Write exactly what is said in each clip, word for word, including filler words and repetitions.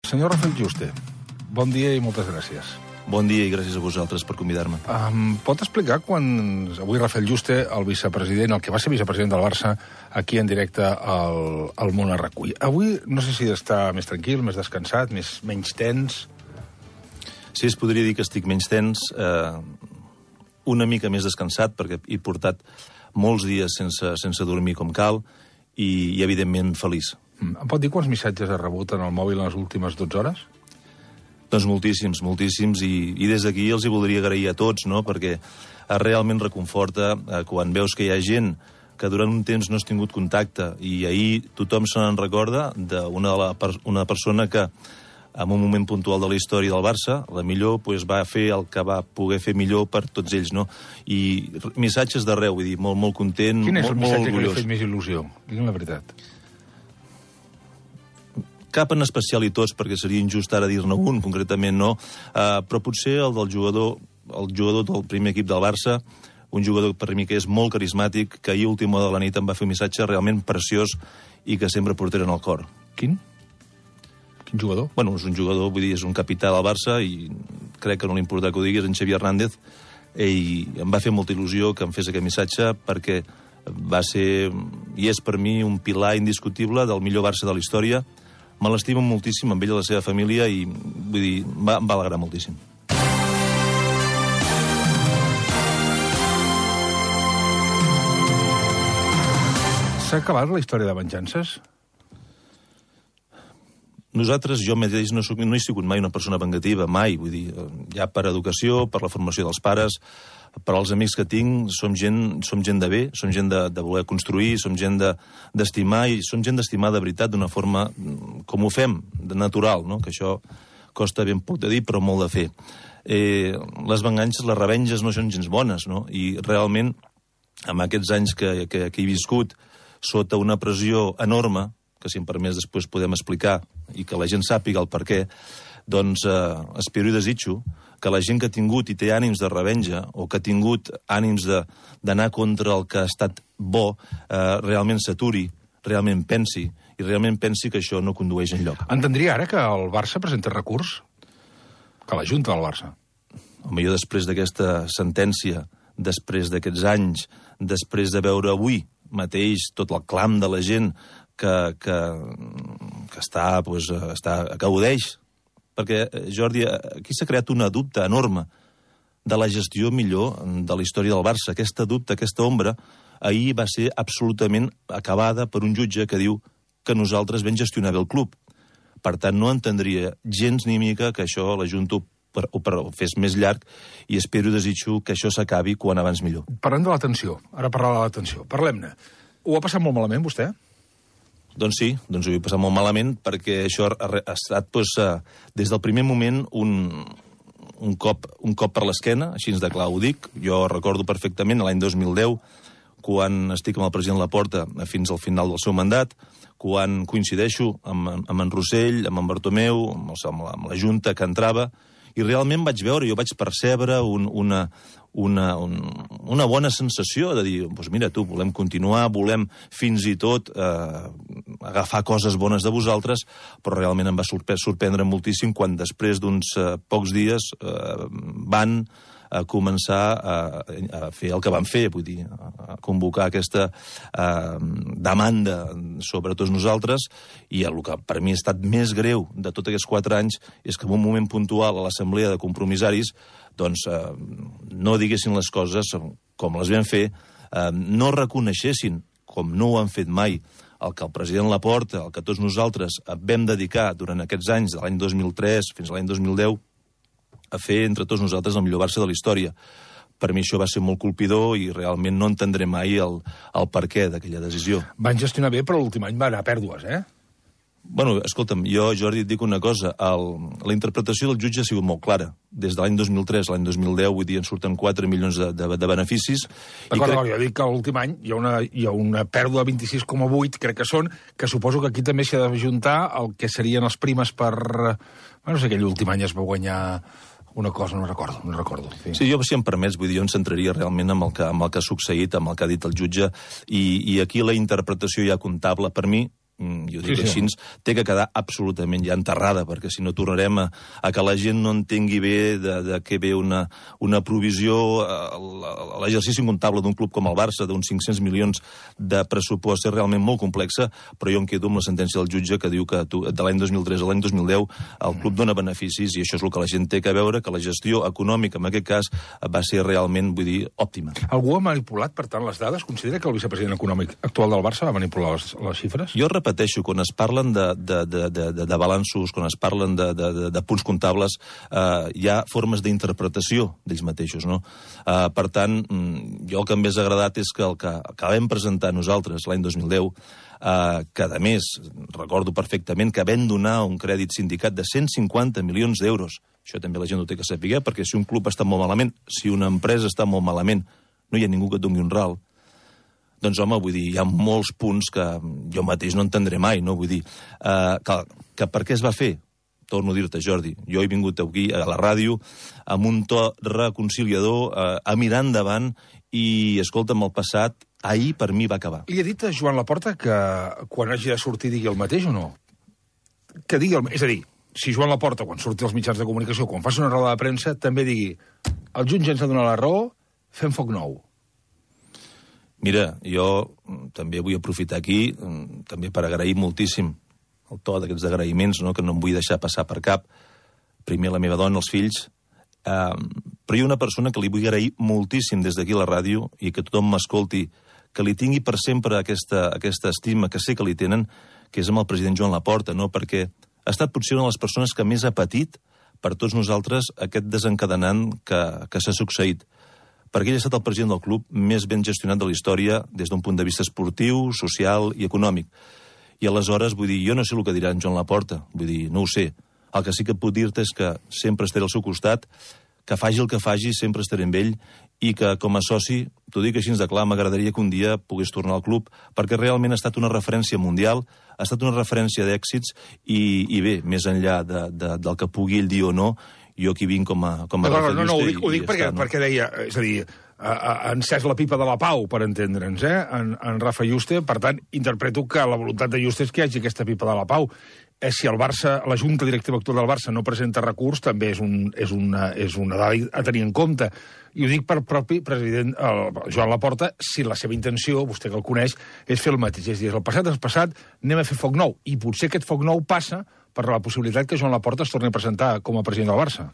Senyor Rafael Juste, bon dia i moltes gràcies. Bon dia i gràcies a vosaltres per convidar-me. Um, pot explicar quan avui Rafael Juste, el vicepresident, el que va ser vicepresident del Barça, aquí en directe al, al Món a recull. Avui no sé si està més tranquil, més descansat, més, menys tens... Sí, es podria dir que estic menys tens, eh, una mica més descansat, perquè he portat molts dies sense, sense dormir com cal i, i evidentment, feliç. Em pot dir quants missatges ha rebut en el mòbil en les últimes dotze hores? Doncs moltíssims, moltíssims, i, i des d'aquí els hi voldria agrair a tots, no?, perquè realment reconforta eh, quan veus que hi ha gent que durant un temps no has tingut contacte, i ahir tothom se n'en recorda d'una una persona que, en un moment puntual de la història del Barça, la millor pues, va fer el que va poder fer millor per tots ells, no? I missatges d'arreu, vull dir, molt, molt content, Quin és molt, el molt missatge orgullós. que li ha fet més il·lusió? Digue'm la veritat. Cap en especial i tots, perquè seria injust ara dir-ne un, concretament no, uh, però potser el del jugador, el jugador del primer equip del Barça, un jugador per mi que és molt carismàtic, que ahir a última hora de la nit em va fer un missatge realment preciós i que sempre portaré en el cor. Quin? Quin jugador? Bueno, és un jugador, vull dir, és un capità del Barça i crec que no li importa que ho diguis, en Xavi Hernández, i em va fer molta il·lusió que em fes aquest missatge perquè va ser, i és per mi, un pilar indiscutible del millor Barça de la història. Me l'estimo moltíssim amb ell i la seva família i, vull dir, em va, em va alegrar moltíssim. S'ha acabat la història de venjances? Nosaltres, jo mateix, no, soc, no he sigut mai una persona vengativa, mai. Vull dir, ja per educació, per la formació dels pares, per als amics que tinc, som gent, som gent de bé, som gent de, de voler construir, som gent d'estimar, de, i som gent d'estimar de veritat d'una forma com ho fem, de natural, no? Que això costa ben poc de dir, però molt de fer. Eh, les vengances, les revenges no són gens bones, no? I realment, amb aquests anys que, que, que he viscut, sota una pressió enorme, que si em permès després podem explicar, i que la gent sàpiga el per què, doncs eh, espero i desitjo que la gent que ha tingut i té ànims de revenja o que ha tingut ànims d'anar contra el que ha estat bo, eh, realment s'aturi, realment pensi, i realment pensi que això no condueix enlloc. Entendria ara que el Barça presenta recurs? Que la Junta del Barça? Home, jo després d'aquesta sentència, després d'aquests anys, després de veure avui mateix tot el clam de la gent que, que, que està, pues, està, que gaudeix. Perquè, Jordi, aquí s'ha creat una dubte enorme de la gestió millor de la història del Barça. Aquesta dubte, aquesta ombra, ahir va ser absolutament acabada per un jutge que diu que nosaltres vam gestionar bé el club. Per tant, no entendria gens ni mica que això la Junta per, o per, fes més llarg i espero i desitjo que això s'acabi quan abans millor. Parlem de l'atenció. Ara parlar de l'atenció. Parlem-ne. Ho ha passat molt malament, vostè? Doncs sí, doncs ho he passat molt malament perquè això ha, ha estat doncs, des del primer moment un, un, cop, un cop per l'esquena, així de clar ho dic. Jo recordo perfectament l'any dos mil deu, quan estic amb el president Laporta fins al final del seu mandat, quan coincideixo amb, amb en Rossell, amb en Bartomeu, amb, el, amb, la, amb la Junta que entrava, i realment vaig veure, jo vaig percebre un, una, una, un, una bona sensació de dir, doncs mira tu, volem continuar, volem fins i tot eh, agafar coses bones de vosaltres, però realment em va sorprendre moltíssim quan després d'uns eh, pocs dies eh, van a començar a, a fer el que van fer, vull dir, a convocar aquesta eh, demanda sobre tots nosaltres, i el que per mi ha estat més greu de tots aquests quatre anys és que en un moment puntual a l'assemblea de compromissaris doncs eh, no diguessin les coses com les vam fer, eh, no reconeixessin, com no ho han fet mai, el que el president Laporta, el que tots nosaltres vam dedicar durant aquests anys, de l'any dos mil tres fins a l'any dos mil deu, a fer entre tots nosaltres el millor Barça de la història. Per mi això va ser molt colpidor i realment no entendré mai el, el perquè d'aquella decisió. Van gestionar bé, però l'últim any va anar a pèrdues, eh? Bueno, escolta'm, jo, Jordi, et dic una cosa. El, la interpretació del jutge ha sigut molt clara. Des de l'any dos mil tres a l'any dos mil deu, vull dir, en surten quatre milions de, de, de beneficis. D'acord, crec... jo dic que l'últim any hi ha, una, hi ha una pèrdua de vint-i-sis coma vuit, crec que són, que suposo que aquí també s'ha d'ajuntar el que serien els primes per... Bueno, no sé, aquell últim any es va guanyar una cosa, no recordo, no recordo. Sí, sí jo, si em permets, vull dir, jo em centraria realment amb el que, amb el que ha succeït, amb el que ha dit el jutge, i, i aquí la interpretació ja comptable, per mi, jo dic sí, sí. així, té que quedar absolutament ja enterrada, perquè si no tornarem a, a que la gent no entengui bé de, de què ve una, una provisió, l'exercici comptable d'un club com el Barça, d'uns cinc-cents milions de pressupost, és realment molt complexa, però jo em quedo amb la sentència del jutge que diu que tu, de l'any dos mil tres a l'any dos mil deu el club dona beneficis i això és el que la gent té que veure, que la gestió econòmica, en aquest cas, va ser realment, vull dir, òptima. Algú ha manipulat, per tant, les dades? Considera que el vicepresident econòmic actual del Barça va manipular les, les xifres? Jo repeteixo, quan es parlen de, de, de, de, de balanços, quan es parlen de, de, de, de punts comptables, eh, hi ha formes d'interpretació d'ells mateixos, no? Eh, per tant, jo el que m'hés agradat és que el que, que vam presentar nosaltres l'any dos mil deu, eh, que a més, recordo perfectament que vam donar un crèdit sindicat de cent cinquanta milions d'euros. Això també la gent ho té que saber, perquè si un club està molt malament, si una empresa està molt malament, no hi ha ningú que et doni un ral. Doncs, home, vull dir, hi ha molts punts que jo mateix no entendré mai, no? Vull dir, eh, que, que per què es va fer? Torno a dir-te, Jordi, jo he vingut aquí a la ràdio amb un to reconciliador, eh, a mirar endavant, i, escolta'm, el passat, ahir per mi va acabar. Li ha dit a Joan Laporta que quan hagi de sortir digui el mateix o no? Que digui el... És a dir, si Joan Laporta, quan surti als mitjans de comunicació, quan faci una roda de premsa, també digui el jutge ens ha donat la raó, fem foc nou. Mira, jo també vull aprofitar aquí, també per agrair moltíssim el to d'aquests agraïments, no?, que no em vull deixar passar per cap. Primer la meva dona, els fills, eh, però hi ha una persona que li vull agrair moltíssim des d'aquí a la ràdio i que tothom m'escolti, que li tingui per sempre aquesta, aquesta estima que sé que li tenen, que és amb el president Joan Laporta, no?, perquè ha estat potser una de les persones que més ha patit per tots nosaltres aquest desencadenant que, que s'ha succeït. Perquè ell ha estat el president del club més ben gestionat de la història des d'un punt de vista esportiu, social i econòmic. I aleshores, vull dir, jo no sé el que dirà en Joan Laporta, vull dir, no ho sé. El que sí que puc dir-te és que sempre estaré al seu costat, que faci el que faci, sempre estaré amb ell, i que com a soci, t'ho dic així de clar, m'agradaria que un dia pogués tornar al club, perquè realment ha estat una referència mundial, ha estat una referència d'èxits, i, i bé, més enllà de, de, del que pugui ell dir o no, jo aquí vinc com a, com a no, Rafa no, no, no, Juste. ho dic, ho dic i perquè, està, no? perquè deia, és a dir, ha, ha encès la pipa de la pau, per entendre'ns, eh, en, en Rafa Juste, per tant, interpreto que la voluntat de Juste és que hi hagi aquesta pipa de la pau. Eh, si el Barça, la Junta Directiva actual del Barça no presenta recurs, també és, un, és, una, és una dada a tenir en compte. I ho dic per propi president el Joan Laporta, si la seva intenció, vostè que el coneix, és fer el mateix. És a dir, el passat és passat, anem a fer foc nou. I potser aquest foc nou passa per la possibilitat que Joan Laporta es torni a presentar com a president del Barça.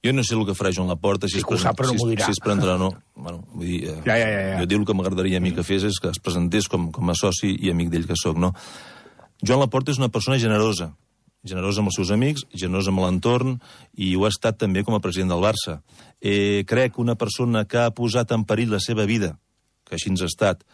Jo no sé el que farà Joan Laporta, si, sí, es, sap, si, no si es presentarà o no. Bueno, vull dir, eh, ja, ja, ja, ja. Jo dic el que m'agradaria a mi que fes és que es presentés com, com a soci i amic d'ell que sóc, no? Joan Laporta és una persona generosa, generosa amb els seus amics, generosa amb l'entorn, i ho ha estat també com a president del Barça. Eh, crec que una persona que ha posat en perill la seva vida, que així ens ha estat,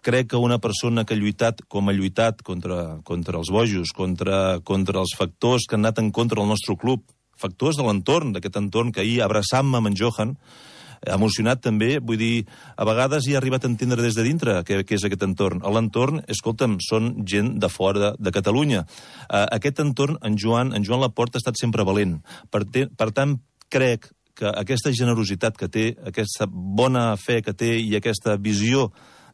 crec que una persona que ha lluitat com ha lluitat contra, contra els bojos, contra, contra els factors que han anat en contra del nostre club, factors de l'entorn, d'aquest entorn que ahir abraçant-me amb en Johan, emocionat també, vull dir, a vegades hi ha arribat a entendre des de dintre què, què és aquest entorn. A l'entorn, escolta'm, són gent de fora de, de Catalunya. Uh, aquest entorn, en Joan, en Joan Laporta ha estat sempre valent. Per, te, per tant, crec que aquesta generositat que té, aquesta bona fe que té i aquesta visió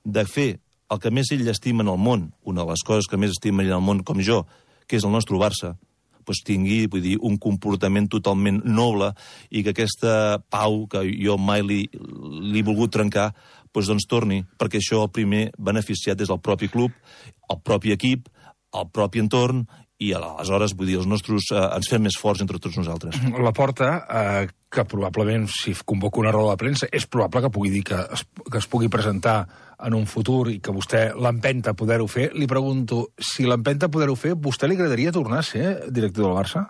de fer el que més ell estima en el món, una de les coses que més estima en el món com jo, que és el nostre Barça, doncs tingui, vull dir, un comportament totalment noble i que aquesta pau que jo mai li, li he volgut trencar, doncs, doncs torni, perquè això el primer beneficiat és el propi club, el propi equip, el propi entorn, i aleshores, vull dir, els nostres eh, ens fem més forts entre tots nosaltres. Laporta, eh, que probablement, si convoca una roda de premsa, és probable que pugui dir que es, que es pugui presentar en un futur i que vostè l'empenta a poder-ho fer. Li pregunto, si l'empenta a poder-ho fer, vostè li agradaria tornar a ser director del Barça?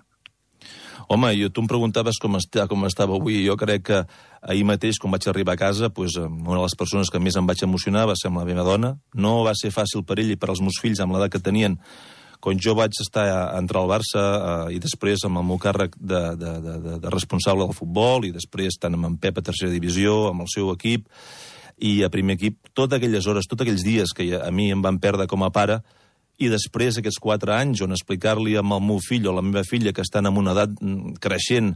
Home, jo, tu em preguntaves com, està, com estava avui, i jo crec que ahir mateix, quan vaig arribar a casa, doncs, una de les persones que més em vaig emocionar va ser amb la meva dona. No va ser fàcil per ell i per als meus fills, amb l'edat que tenien, quan jo vaig estar a entrar al Barça eh, i després amb el meu càrrec de, de, de, de responsable del futbol i després tant amb en Pep a tercera divisió, amb el seu equip i a primer equip, totes aquelles hores, tots aquells dies que a mi em van perdre com a pare, i després aquests quatre anys on explicar-li amb el meu fill o la meva filla que estan en una edat creixent,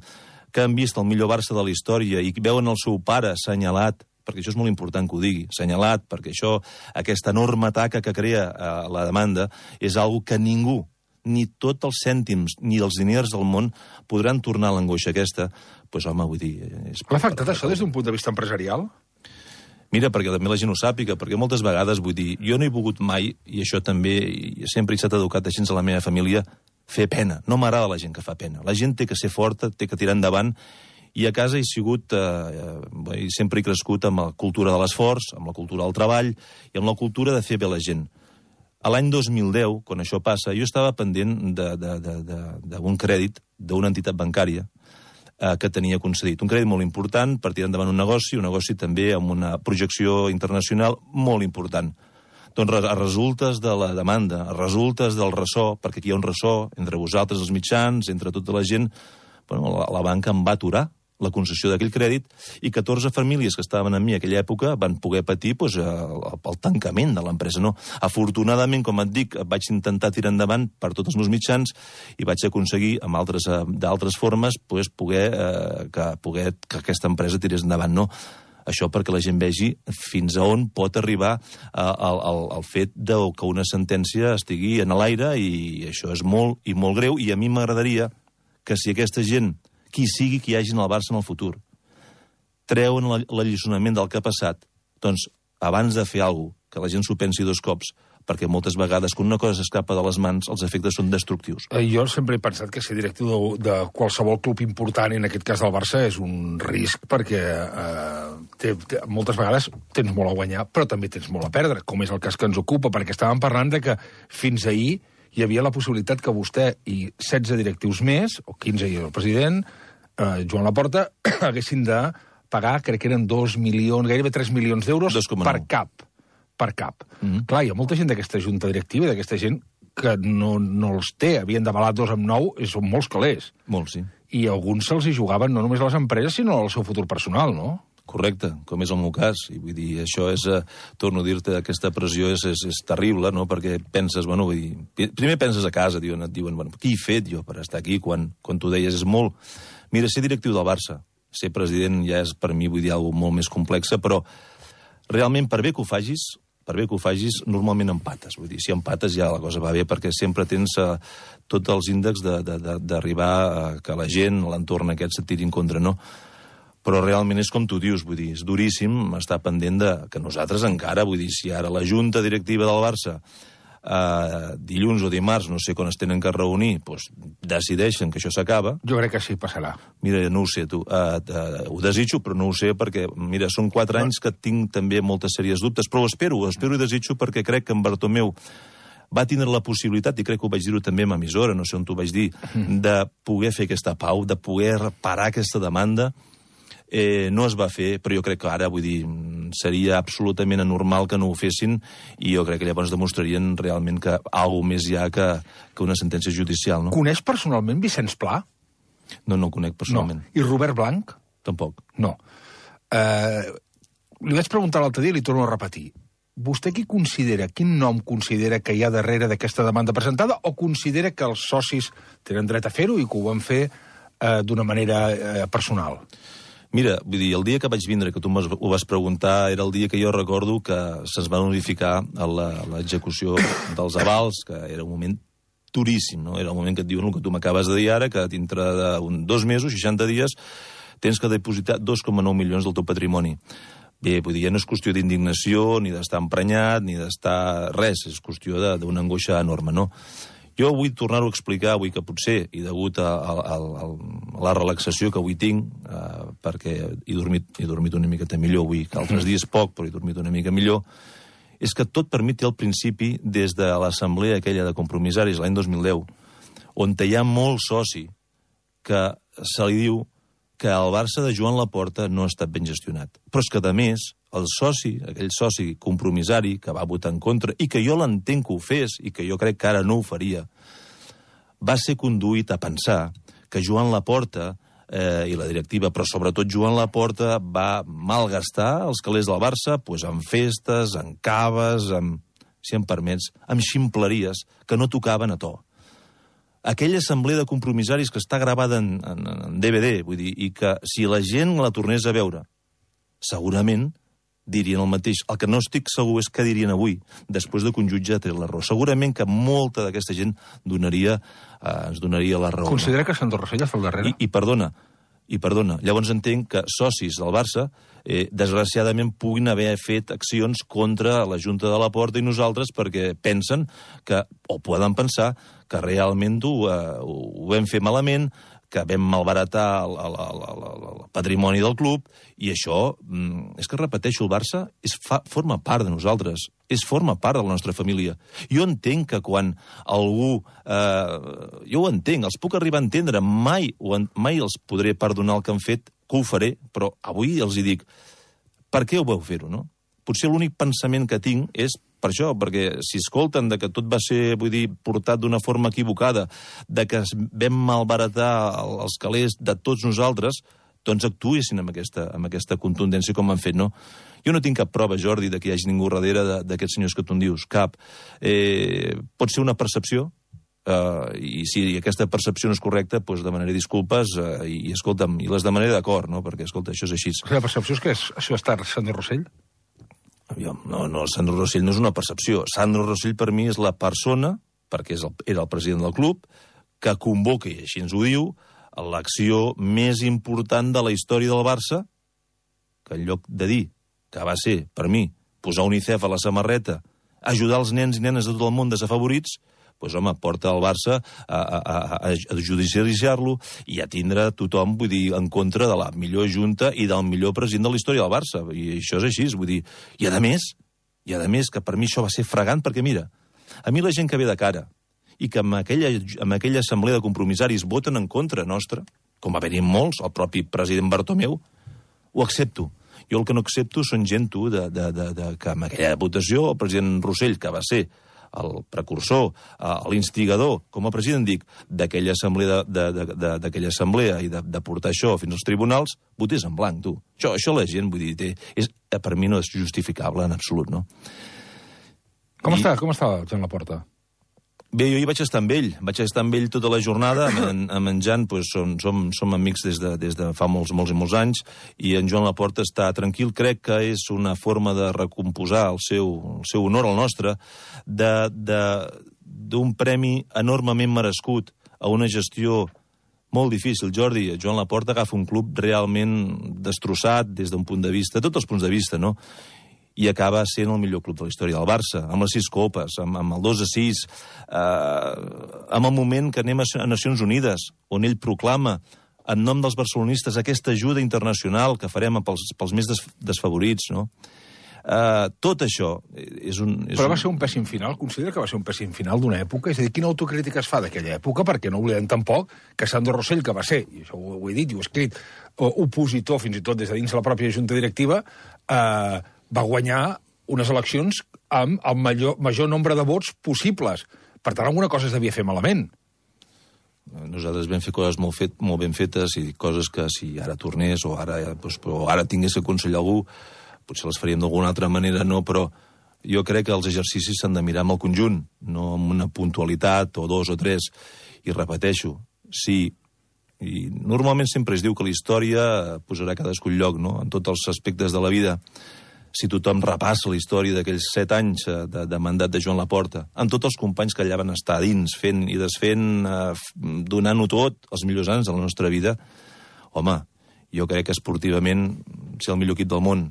que han vist el millor Barça de la història i veuen el seu pare assenyalat perquè això és molt important que ho digui, assenyalat, perquè això, aquesta enorme taca que crea eh, la demanda, és algo que ningú, ni tots els cèntims, ni els diners del món podran tornar a l'angoixa aquesta. Doncs, pues, home, vull dir... És... L'ha afectat això des d'un punt de vista empresarial? Mira, perquè també la gent ho sàpiga, perquè moltes vegades, vull dir, jo no he volgut mai, i això també, i sempre he estat educat així a la meva família, fer pena. No m'agrada la gent que fa pena. La gent té que ser forta, té que tirar endavant, i a casa he sigut, eh, eh, sempre he crescut amb la cultura de l'esforç, amb la cultura del treball, i amb la cultura de fer bé la gent. A l'any dos mil deu, quan això passa, jo estava pendent d'un crèdit d'una entitat bancària eh, que tenia concedit. Un crèdit molt important per tirar endavant un negoci, un negoci també amb una projecció internacional molt important. Doncs a resultes de la demanda, a resultes del ressò, perquè aquí hi ha un ressò entre vosaltres, els mitjans, entre tota la gent, bueno, la, la banca em va aturar la concessió d'aquell crèdit i catorze famílies que estaven amb mi en aquella època van poder patir doncs, el, el tancament de l'empresa. No? Afortunadament, com et dic, vaig intentar tirar endavant per tots els meus mitjans i vaig aconseguir, amb altres, d'altres formes, doncs, poder, eh, que, poder que aquesta empresa tirés endavant. No? Això perquè la gent vegi fins a on pot arribar el fet de que una sentència estigui en l'aire i això és molt i molt greu i a mi m'agradaria que si aquesta gent, qui sigui que hi hagi al Barça en el futur, treuen l'alliçonament del que ha passat, doncs abans de fer alguna cosa, que la gent s'ho pensi dos cops, perquè moltes vegades, quan una cosa s'escapa de les mans, els efectes són destructius. Jo sempre he pensat que ser directiu de, de qualsevol club important, en aquest cas del Barça, és un risc, perquè eh, té, té, moltes vegades tens molt a guanyar, però també tens molt a perdre, com és el cas que ens ocupa, perquè estàvem parlant de que fins ahir hi havia la possibilitat que vostè i setze directius més, o quinze i el president, eh, Joan Laporta, haguessin de pagar, crec que eren dos milions, gairebé tres milions d'euros per cap. per cap. Mm-hmm. Clar, hi ha molta gent d'aquesta junta directiva i d'aquesta gent que no, no els té, havien d'avalar dos amb nou, i són molts calés. Molts, sí. I alguns se'ls hi jugaven no només a les empreses, sinó al seu futur personal, no? Correcte, com és el meu cas. I vull dir, això és, eh, torno a dir-te, aquesta pressió és, és, és terrible, no? Perquè penses, bueno, vull dir, primer penses a casa, diuen, et diuen, bueno, què he fet jo per estar aquí quan, quan tu deies és molt... Mira, ser directiu del Barça, ser president ja és per mi, vull dir, alguna molt més complexa, però realment per bé que ho facis, per bé que ho facis, normalment empates. Vull dir, si empates ja la cosa va bé, perquè sempre tens uh, tots els índexs d'arribar a que la gent, l'entorn aquest, se't tiri en contra, no? Però realment és com tu dius, vull dir, és duríssim estar pendent de que nosaltres encara, vull dir, si ara la junta directiva del Barça uh, dilluns o dimarts, no sé quan es tenen que reunir, doncs decideixen que això s'acaba... Jo crec que sí, passarà. Mira, no ho sé, tu. Uh, uh, ho desitjo, però no ho sé, perquè, mira, són quatre anys que tinc també moltes sèries dubtes, però ho espero, ho espero i desitjo perquè crec que en Bartomeu va tindre la possibilitat, i crec que ho vaig dir-ho també amb emissora, no sé on t'ho vaig dir, de poder fer aquesta pau, de poder parar aquesta demanda. Eh, no es va fer, però jo crec que ara, vull dir, seria absolutament anormal que no ho fessin i jo crec que llavors demostrarien realment que alguna més hi ha que, que una sentència judicial, no? Coneix personalment Vicenç Pla? No, no el conec personalment. No. I Robert Blanc? Tampoc. No. Eh, li vaig preguntar l'altre dia i li torno a repetir. Vostè qui considera, quin nom considera que hi ha darrere d'aquesta demanda presentada o considera que els socis tenen dret a fer-ho i que ho van fer eh, d'una manera eh, personal? Mira, vull dir, el dia que vaig vindre, que tu ho vas preguntar, era el dia que jo recordo que se'ns va notificar l'execució dels avals, que era un moment duríssim, no? Era el moment que et diuen el que tu m'acabes de dir ara, que dintre de un, dos mesos, seixanta dies, tens que depositar dos coma nou milions del teu patrimoni. Bé, vull dir, ja no és qüestió d'indignació, ni d'estar emprenyat, ni d'estar res, és qüestió d'una angoixa enorme, no? Jo vull tornar-ho a explicar avui que potser, i degut a, a, a, a la relaxació que avui tinc, eh, perquè he dormit, he dormit una miqueta millor avui, que altres dies poc, però he dormit una mica millor, és que tot per mi té el principi des de l'assemblea aquella de compromissaris l'any dos mil deu, on hi ha molt soci que se li diu que el Barça de Joan Laporta no ha estat ben gestionat. Però és que, a més, el soci, aquell soci compromissari que va votar en contra, i que jo l'entenc que ho fes, i que jo crec que ara no ho faria, va ser conduït a pensar que Joan Laporta eh, i la directiva, però sobretot Joan Laporta, va malgastar els calés del Barça pues, en festes, en caves, en, si em permets, amb ximpleries que no tocaven a to. Aquella assemblea de compromissaris que està gravada en, en, en D V D, vull dir, i que si la gent la tornés a veure, segurament dirien el mateix. El que no estic segur és què dirien avui, després de que un jutge ha tret la raó. Segurament que molta d'aquesta gent donaria, eh, ens donaria la raó. Considera no? que Sandro Rosell fa el darrere? I, i perdona, i perdona, llavors entenc que socis del Barça, eh, desgraciadament, puguin haver fet accions contra la Junta de la Porta i nosaltres perquè pensen que, o poden pensar, que realment ho, eh, ho vam fer malament, que vam malbaratar el, el, el, el, el patrimoni del club, i això, és que repeteixo, el Barça és, fa, forma part de nosaltres, és forma part de la nostra família. Jo entenc que quan algú... Eh, jo ho entenc, els puc arribar a entendre, mai, mai els podré perdonar el que han fet, que ho faré, però avui els hi dic, per què ho vau fer-ho, no? Potser l'únic pensament que tinc és per això, perquè si escolten de que tot va ser, vull dir, portat d'una forma equivocada, de que vam malbaratar els calés de tots nosaltres, doncs actuessin amb aquesta, amb aquesta contundència com han fet, no? Jo no tinc cap prova, Jordi, de que hi hagi ningú darrere d'aquests senyors que tu en dius, cap. Eh, pot ser una percepció, eh, i si aquesta percepció no és correcta, doncs demanaré disculpes, eh, i, i escolta'm, i les demanaré d'acord, no? Perquè, escolta, això és així. La percepció és que és, això està Sandro Rosell? No, no, Sandro Rosell no és una percepció. Sandro Rosell per mi és la persona, perquè és el, era el president del club, que convoca, i així ens ho diu, l'acció més important de la història del Barça, que en lloc de dir que va ser, per mi, posar UNICEF a la samarreta, ajudar els nens i nenes de tot el món desafavorits, doncs, home, porta el Barça a, a, a, a judicialitzar-lo i a tindre tothom, vull dir, en contra de la millor junta i del millor president de la història del Barça. I això és així, vull dir... I a més, i a més, que per mi això va ser fregant, perquè, mira, a mi la gent que ve de cara i que en aquella, en aquella assemblea de compromissaris voten en contra nostra, com va haver-hi molts, el propi president Bartomeu, ho accepto. Jo el que no accepto són gent, tu, de, de, de, de, que en aquella votació el president Rossell, que va ser el precursor, l'instigador, com a president dic, d'aquella assemblea, de, de, de, d'aquella assemblea i de, de portar això fins als tribunals, votés en blanc, tu. Això, això la gent, vull dir, té, és, per mi no és justificable en absolut, no? Com I... està, com està Joan Laporta? Bé, jo hi vaig estar amb ell, vaig estar amb ell tota la jornada, amb en, amb en Jan, doncs, som, som, som amics des de, des de fa molts, molts i molts anys, i en Joan Laporta està tranquil, crec que és una forma de recomposar el seu, el seu honor, el nostre, d'un premi enormement merescut a una gestió molt difícil. Jordi, Joan Laporta agafa un club realment destrossat des d'un punt de vista, tots els punts de vista, no?, i acaba sent el millor club de la història del Barça, amb les sis copes, amb, amb el dos a sis, eh, amb el moment que anem a, a Nacions Unides, on ell proclama, en nom dels barcelonistes, aquesta ajuda internacional que farem pels, pels més des, desfavorits, no? Eh, tot això és un... És Però va un... ser un pèssim final? Considera que va ser un pèssim final d'una època? És a dir, quina autocrítica es fa d'aquella època? Perquè no oblidem tampoc que Sandro Rosell, que va ser, i això ho, ho he dit i ho he escrit, opositor fins i tot des de dins de la pròpia junta directiva, eh, va guanyar unes eleccions amb el major, major nombre de vots possibles. Per tant, alguna cosa es devia fer malament. Nosaltres vam fer coses molt, fet, molt ben fetes i coses que si ara tornés o ara, doncs, o ara tingués que aconsellar algú, potser les faríem d'alguna altra manera, no, però jo crec que els exercicis s'han de mirar amb el conjunt, no amb una puntualitat o dos o tres. I repeteixo, sí, i normalment sempre es diu que la història posarà cadascun lloc, no?, en tots els aspectes de la vida. Si tothom repassa la història d'aquells set anys de, de mandat de Joan Laporta, amb tots els companys que allà van estar dins, fent i desfent, eh, donant-ho tot, els millors anys de la nostra vida, home, jo crec que esportivament ser el millor equip del món,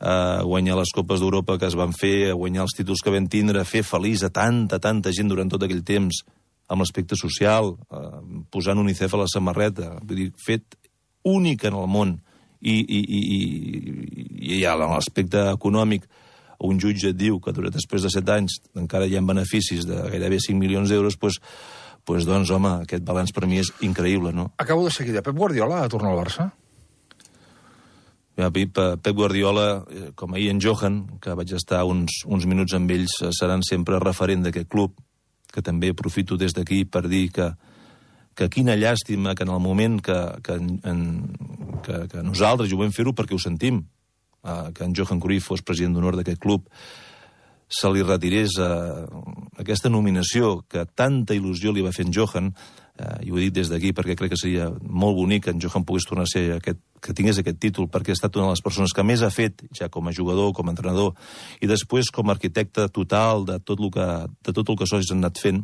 eh, guanyar les Copes d'Europa que es van fer, guanyar els títols que vam tindre, fer feliç a tanta, tanta gent durant tot aquell temps, amb l'aspecte social, eh, posant UNICEF a la samarreta, vull dir, fet únic en el món, i, i, i, i, i a l'aspecte econòmic un jutge et diu que després de set anys encara hi ha beneficis de gairebé cinc milions d'euros, doncs, doncs, doncs, home, aquest balanç per mi és increïble, no? Acabo de seguida. Pep Guardiola ha tornat al Barça? Ja, Pep, Pep Guardiola, com ahir en Johan, que vaig estar uns, uns minuts amb ells, seran sempre referent d'aquest club, que també aprofito des d'aquí per dir que que quina llàstima que en el moment que, que, en, que, que nosaltres, i ho vam fer-ho perquè ho sentim, eh, que en Johan Cruyff fos president d'honor d'aquest club, se li retirés eh, aquesta nominació que tanta il·lusió li va fer en Johan, eh, i ho he dit des d'aquí perquè crec que seria molt bonic que en Johan pogués tornar a ser aquest, que tingués aquest títol, perquè ha estat una de les persones que més ha fet, ja com a jugador, com a entrenador, i després com a arquitecte total de tot el que, de tot el que sols han anat fent.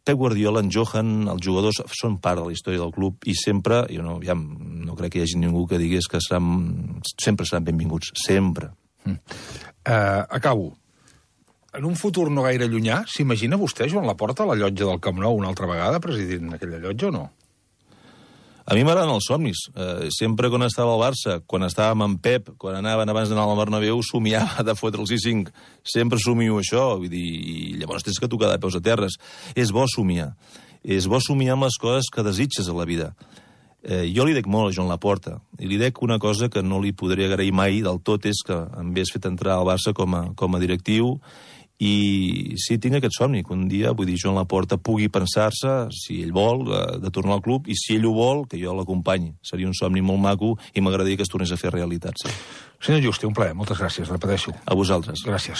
Pep Guardiola, en Johan, els jugadors són part de la història del club i sempre, jo no, ja, no crec que hi hagi ningú que digués que seran, sempre seran benvinguts, sempre. Mm. Uh, acabo. En un futur no gaire llunyà, s'imagina vostè, Joan Laporta, a la llotja del Camp Nou una altra vegada, presidint aquella llotja o no? A mi m'agraden els somnis. Eh, sempre quan estava al Barça, quan estàvem amb Pep, quan anaven abans d'anar al Bernabéu, somiava de fotre el sis cinc. Sempre somio això, vull dir, i llavors tens que tocar de peus a terres. És bo somiar. És bo somiar amb les coses que desitges a la vida. Eh, jo li dec molt a Joan Laporta, i li dec una cosa que no li podré agrair mai del tot, és que em hagués fet entrar al Barça com a, com a directiu. I sí, tinc aquest somni, que un dia, vull dir, Joan Laporta pugui pensar-se, si ell vol, de tornar al club, i si ell ho vol, que jo l'acompanyi. Seria un somni molt maco i m'agradaria que es tornés a fer realitat. Sí. Senyor Juste, un plaer. Moltes gràcies, repeteixo. A vosaltres. Gràcies.